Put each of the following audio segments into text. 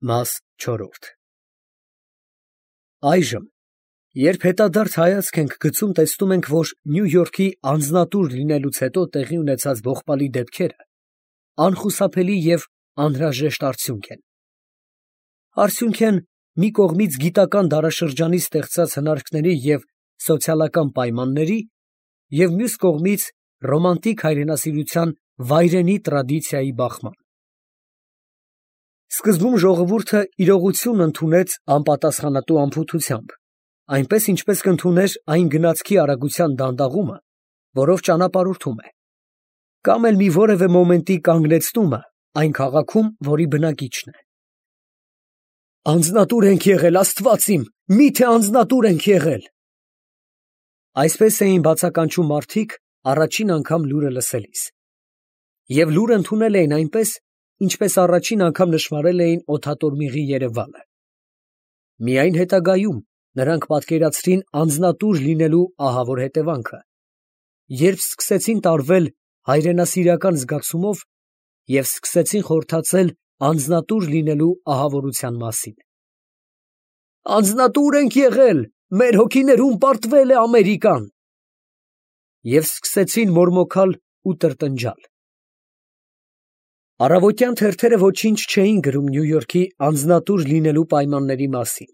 Մաս 4 Այժմ, երբ հետադարձ հայացք ենք գցում, տեսնում ենք, որ Նյու Յորքի անձնատուր լինելուց հետո տեղի ունեցած ողբալի դեպքերը անխուսափելի և անհրաժեշտ արդյունք են մի կողմից գիտական դարաշրջանի ստեղծած հնարքների և սոցիալական պայմանների և մյուս կողմից ռոմանտիկ հայրենասիրության վայրենի տրադիցիայի բախման։ Սկզբում ժողովուրդը իրողությունն ընդունեց անպատասխանատու անփութությամբ, այնպես ինչպես կընդուներ այն գնացքի արագության դանդաղումը, որով ճանապարհորդում է, կամ էլ մի որևէ մոմենտի կանգնեցնումը այն քաղաքում, որի բնակիչն է։ Անձնատուր ենք եղել, Աստված իմ, մի՞թե անձնատուր ենք եղել։ Այսպես էին բացականչում մարդիկ առաջին անգամ լուրը լսելիս, և լուրը ընդունել էին այնպես, ինչպես առաջին անգամ նշմարել էին օդատորմիղի երևալը։ Միայն հետագայում նրանք պատկերացրին անձնատուր լինելու ահավոր հետևանքը, երբ սկսեցին տարվել հայրենասիրական զգացումով և սկսեցին խորհրդածել անձնատուր լինելու ահավորության մասին։ Անձնատուր ենք եղել, մեր հոգիներում պարտվել է Ամերիկան։ Եվ սկսեցին մորմոքալ ու տրտնջալ։ Առավոտյան թերթերը ոչինչ չէին գրում Նյու Յորքի անձնատուր լինելու պայմանների մասին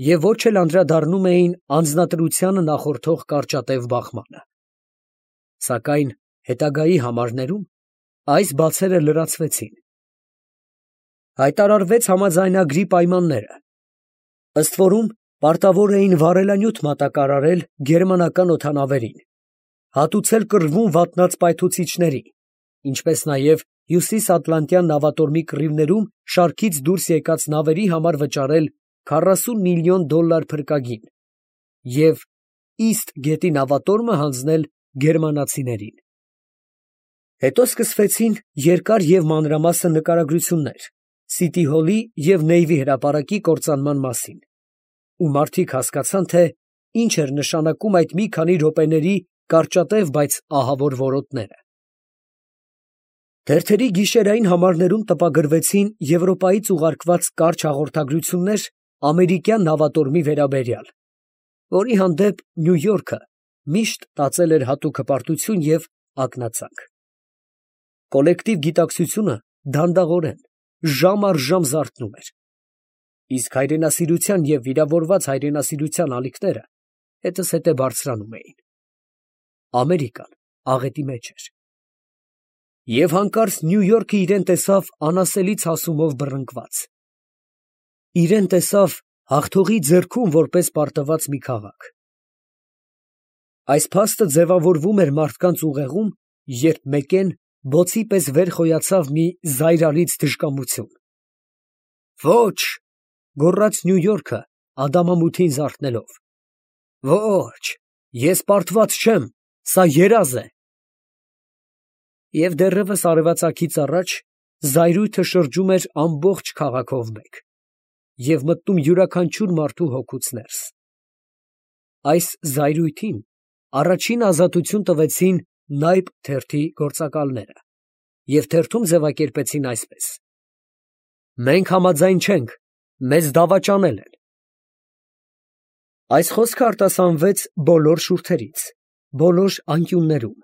և ոչ էլ անդրադառնում էին անձնատրությանը նախորդող կարճատև բախմանը։ Սակայն հետագայի համարներում այս բացերը լրացվեցին։ Հայտարարվեց համաձայնագրի պայմանները, ըստ որում պարտավոր էին վառելանյութ մատակարարել գերմանական օդանավերին, հատուցել կռվում վատնած պայթուցիչների, ինչպես նաև հյուսիսատլանտյան նավատորմի կռիվներում շարքից դուրս եկած նավերի համար վճարել $40 միլիոն փրկագին և Իստ գետի նավատորմը հանձնել գերմանացիներին։ Հետո սկսվեցին երկար և մանրամասն նկարագրություններ Սիթի Հոլի և Նեյվի հրապարակի կործանման մասին, ու մարդիկ հասկացան, թե ինչ էր նշանակում այդ մի քանի րոպեների կարճատև, բայց ահավոր որոտները։ Թերթերի գիշերային համարներում տպագրվեցին Եվրոպայից ուղարկված կարճ հաղորդագրություններ ամերիկյան նավատորմի վերաբերյալ, որի հանդեպ Նյու Յորքը միշտ տածել էր հատուկ հպարտություն և ակնածանք։ Կոլեկտիվ գիտակցությունը դանդաղորեն, ժամ առ ժամ զարթնում էր, իսկ հայրենասիրության և վիրավորված հայրենասիրության ալիքները հետզհետե բարձրանում էին։ Ամերիկան աղետի մեջ էր։ Եվ հանկարծ Նյու Յորքը իրան տեսավ անասելի ցասումով բռնկված։ Իրան տեսավ հաղթողի ձեռքում որպես պարտված մի քաղաք։ Այս փաստը ձևավորվում էր մարդկանց ուղեղում, երբ մեկեն բոցի պես վեր խոյացավ մի զայրալից թշնամություն։ Ոչ, գոռաց Նյու Յորքը ադամամութին զարթնելով, ոչ, ես պարտված չեմ, սա երազ է։ Եվ դեռևս արևածագից առաջ զայրույթը շրջում էր ամբողջ քաղաքով մեկ և մտնում յուրաքանչյուր մարդու հոգուց ներս։ Այս զայրույթին առաջին ազատություն տվեցին Նայբ թերթի գործակալները և թերթում ձևակերպեցին այսպես. «Մենք համաձայն չենք, մեզ դավաճանել են»։ Այս խոսքը արտասանվեց բոլոր շուրթերից, բոլոր անկյուններում։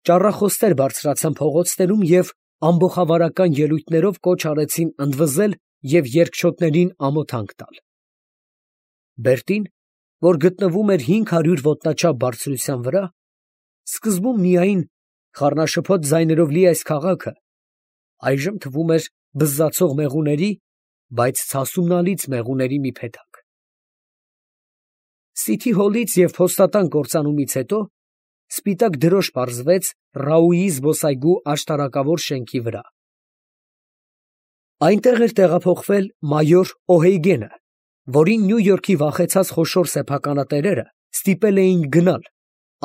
Ճառախոսներ բարձրացան փողոցներում և ամբոխավարական ելույթներով կոչ արեցին ընդվզել և երկչոտներին ամոթանք տալ։ Բերտին, որ գտնվում էր 500 ոտնաչափ բարձրության վրա, սկզբում միայն խառնաշփոթ ձայներով լի այս քաղաքը, այժմ թվում էր բզզացող մեղուների, բայց ցասումնալից մեղուների մի փեթակ։ Սիթի Հոլից և փոստատան կործանումից հետո սպիտակ դրոշ պարզվեց Ռաուի զբոսայգու աշտարակավոր շենքի վրա։ Այնտեղ էր տեղափոխվել մայոր Օհեյգենը, որին Նյու Յորքի վախեցած խոշոր սեփականատերերը ստիպել էին գնալ,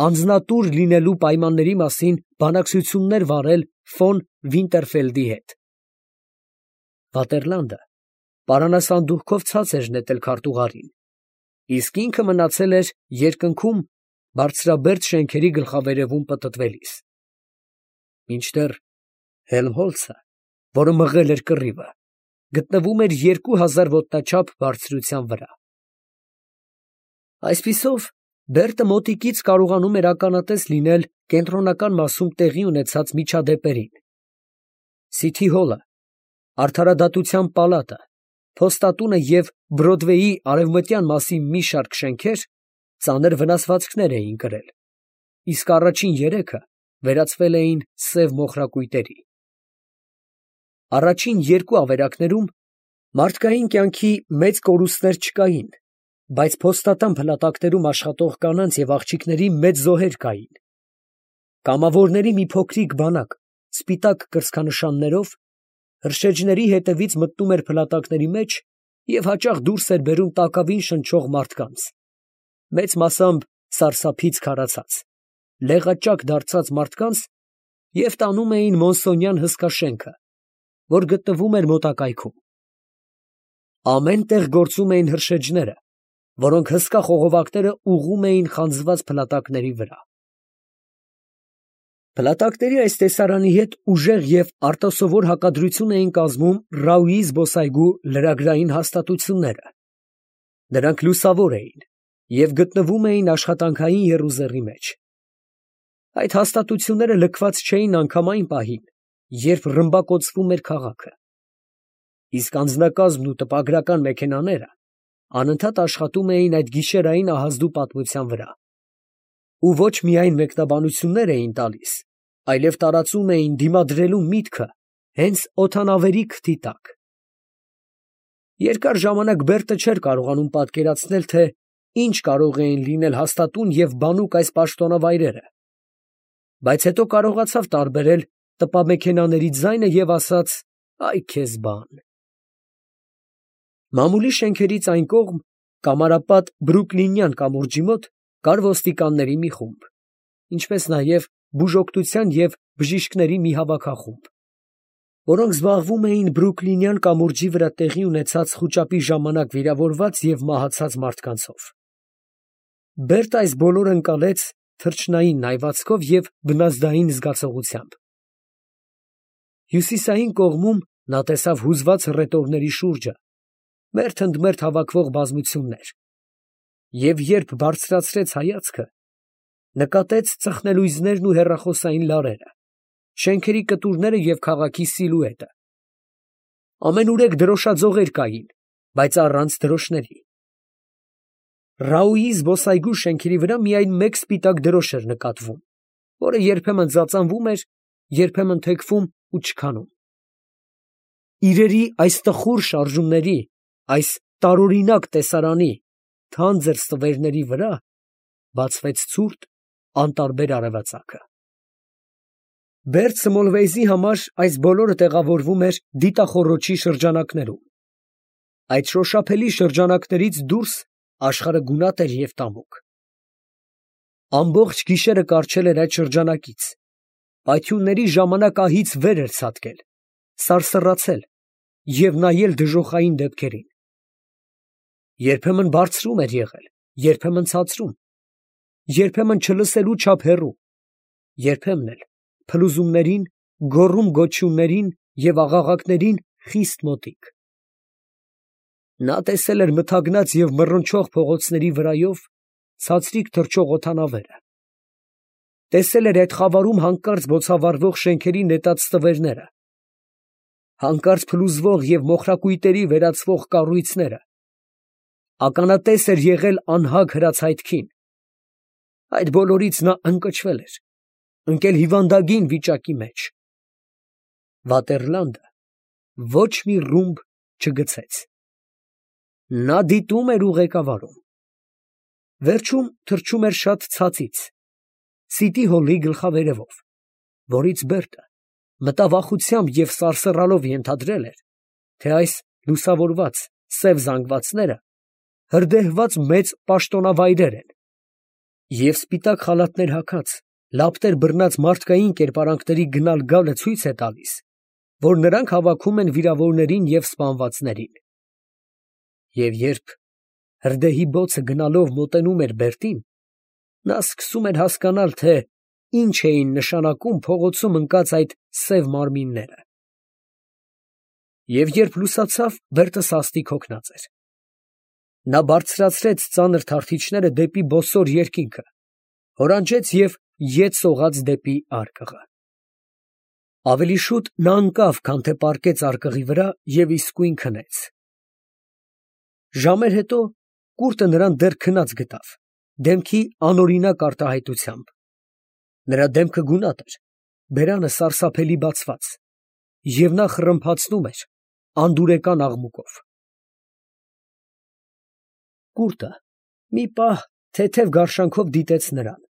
անձնատուր լինելու պայմանների մասին բանակցություններ վարել ֆոն Վինտերֆելդի հետ։ Վատերլանդը պարանասանդուղքով ցած էր նետել քարտուղարին, իսկ ինքը մնացել էր երկնքում բարձրաբերդ շենքերի գլխավերևում պտտվելիս։ Մինչդեռ Հելմհոլցը, որը մղել էր կռիվը, գտնվում էր 2000 ոտնաչափ բարձրության վրա։ Այսպիսով, Բերտը մոտիկից կարողանում էր ականատես լինել կենտրոնական մասում տեղի ունեցած միջադեպերին։ Սիթի հոլը, Արդարադատության պալատը, փոստատունը և Բրոդվեյի արևմտյան մասի մի շարք շենքեր ծանր վնասվածքներ էին կրել, իսկ առաջին երեքը վերածվել էին սև մոխրակույտերի։ Առաջին երկու ավերակներում մարդկային կյանքի մեծ կորուստներ չկային, բայց փոստատան փլատակներում աշխատող կանանց և աղջիկների մեծ զոհեր կային։ Կամավորների մի փոքրիկ բանակ սպիտակ կրծքանշաններով հրշեջների հետևից մտնում էր փլատակների մեջ և հաճախ դուրս էր բերում տակավին շնչող մարդկանց, մեծ մասամբ սարսափից քարացած, լեղաճակ դարձած մարդկանց և տանում էին Մոնսոնյան հսկա շենքը, որ գտնվում էր մոտակայքում։ Ամեն տեղ գործում էին հրշեջները, որոնք հսկա խողովակները ուղղում էին խանձված փլատակների վրա։ Փլատակների այս տեսարանի հետ ուժեղ և արտասովոր հակադրություն էին կազմում Ռաուի զբոսայգու լրագրային հաստատությունները։ Նրանք լուսավոր էին և գտնվում էին աշխատանքային եռուզեռի մեջ։ Այդ հաստատությունները լքված չէին անգամ այն պահին, երբ ռմբակոծվում էր քաղաքը։ Իսկ անձնակազմն ու տպագրական մեքենաները անընդհատ աշխատում էին այդ գիշերային ահազդու պատմության վրա։ Ու ոչ միայն մեկնաբանություններ էին տալիս, այլև տարածում էին դիմադրելու միտքը հենց օդանավերի քթի տակ։ Երկար ժամանակ Բերտը չէր կարողանում պատկերացնել, թե ինչ կարող էին լինել հաստատուն և բանուկ այս պաշտոնավայրերը, բայց հետո կարողացավ տարբերել տպամեքենաների ձայնը և ասաց. «Այ քեզ բան»։ Մամուլի շենքերից այն կողմ, կամարապատ Բրուքլինյան կամուրջի մոտ, կար ոստիկանների մի խումբ, ինչպես նաև բուժօգնության և բժիշկների մի հավաքախումբ, որոնք զբաղվում էին Բրուքլինյան կամուրջի վրա տեղի ունեցած խուճապի ժամանակ վիրավորված և մահացած մարդկանցով։ Բերտը այս բոլորը ընկալեց թռչնային նայվածքով և բնազդային զգացողությամբ։ Հյուսիսային կողմում նա տեսավ հուզված հռետորների շուրջը մերթ ընդ մերթ հավաքվող բազմություններ և երբ բարձրացրեց հայացքը, նկատեց ծխնելույզներն ու հեռախոսային լարերը, շենքերի կտուրները և քաղաքի սիլուետը։ Ամենուրեք դրոշաձողեր կային, բայց առանց դրոշների։ Ռաուի զբոսայգու շենքերի վրա միայն մեկ սպիտակ դրոշ էր նկատվում, որը երբեմն ծածանվում էր, երբեմն թեքվում ու չքանում։ Իրերի այս տխուր շարժումների, այս տարօրինակ տեսարանի թանձր ստվերների վրա բացվեց ցուրտ, անտարբեր արևածագը։ Բերտ Սմոլվեյզի համար այս բոլորը տեղավորվում էր դիտախոռոչի շրջանակներում։ Այդ շոշափելի շրջանակներից դուրս աշխարհը գունատ էր և տամուկ։ Ամբողջ գիշերը կառչել էր այդ շրջանակից, պայթյունների ժամանակ ահից վեր էր ցատկել, սարսռացել և նայել դժոխային դեպքերին։ Երբեմն բարձրում էր եղել, երբեմն ցածրում, երբեմն չլսելու չափ հեռու, երբեմն էլ փլուզումներին, գոռում֊գոչյուններին և աղաղակներին խիստ մոտիկ։ Նա տեսել էր մթագնած և մռնչող փողոցների վրայով ցածրիկ թռչող օդանավերը, տեսել էր այդ խավարում հանկարծ բոցավառվող շենքերի նետած ստվերները, հանկարծ փլուզվող և մոխրակույտերի վերածվող կառույցները, ականատես էր եղել անհագ հրացայթքին։ Այդ բոլորից նա ընկճվել էր, ընկել հիվանդագին վիճակի մեջ։ Վատերլանդը ոչ մի ռումբ չգցեց։ Նա դիտում էր ու ղեկավարում։ Վերջում թռչում էր շատ ցածից, Սիթի հոլի գլխավերևով, որից Բերտը մտավախությամբ և սարսռալով ենթադրել էր, թե այս լուսավորված սև զանգվածները հրդեհված մեծ պաշտոնավայրեր են, և սպիտակ խալաթներ հագած, լապտեր բռնած մարդկային կերպարանքների գնալ գալը ցույց է տալիս, որ նրանք հավաքում են վիրավորներին և սպանվածներին։ Եվ երբ հրդեհի բոցը գնալով մոտենում էր Բերտին, նա սկսում էր հասկանալ, թե ինչ էին նշանակում փողոցում ընկած այդ սև մարմինները։ Եվ երբ լուսացավ, Բերտը սաստիկ հոգնած էր։ Նա բարձրացրեց ծանր թարթիչները դեպի բոսոր երկինքը, հորանջեց և ետ սողաց դեպի արկղը։ Ավելի շուտ նա ընկավ, քան թե պառկեց արկղի վրա և իսկույն քնեց։ Ժամեր հետո կուրտը նրան դեռ քնած գտավ, դեմքի անօրինակ արտահայտությամբ։ Նրա դեմքը գունատ էր, բերանը սարսափելի բացված, և նա խռմփացնում էր անդուրեկան աղմուկով։ Կուրտը մի պահ թեթև գարշանքով դիտեց նրան,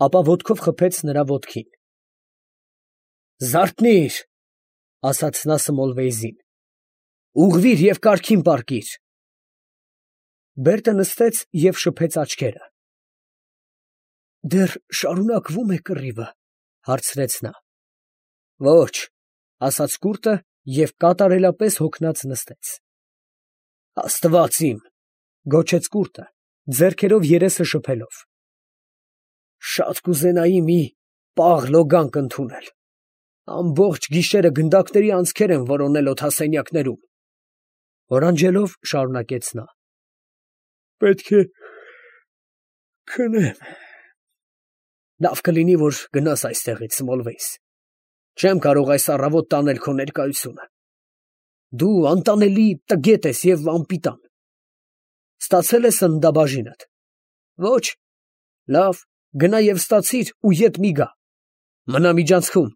ապա ոտքով խփեց նրա ոտքին։ «Զարթնի՛ր», ֊ ասաց նա Սմոլվեյզին, ֊ ուղղվի՛ր և կարգին պառկիր։ Բերտը նստեց և շփեց աչքերը։ ֊ Դեռ շարունակվո՞ւմ է կռիվը, ֊ հարցրեց նա։ ֊ Ո՛չ, ֊ ասաց կուրտը և կատարելապես հոգնած նստեց։ ֊ Աստված իմ, ֊ գոչեց կուրտը, ձեռքերով երեսը շփելով, ֊ շատ կուզենայի մի պաղ լոգանք ընդունել. ամբողջ գիշերը գնդակների անցքեր եմ որոնել օդասենյակներում։ Հորանջելով շարունակեց նա. պետք է քնեմ։ Լավ կլինի, որ գնաս այստեղից, Սմոլվեյս. չեմ կարող այս առավոտ տանել քո ներկայությունը։ Դու անտանելի տգետ ես և անպիտան։ Ստացե՞լ ես սննդաբաժինդ։ Ո՛չ։ Լավ, գնա և ստացիր ու ետ մի գա։ Մնա միջանցքում։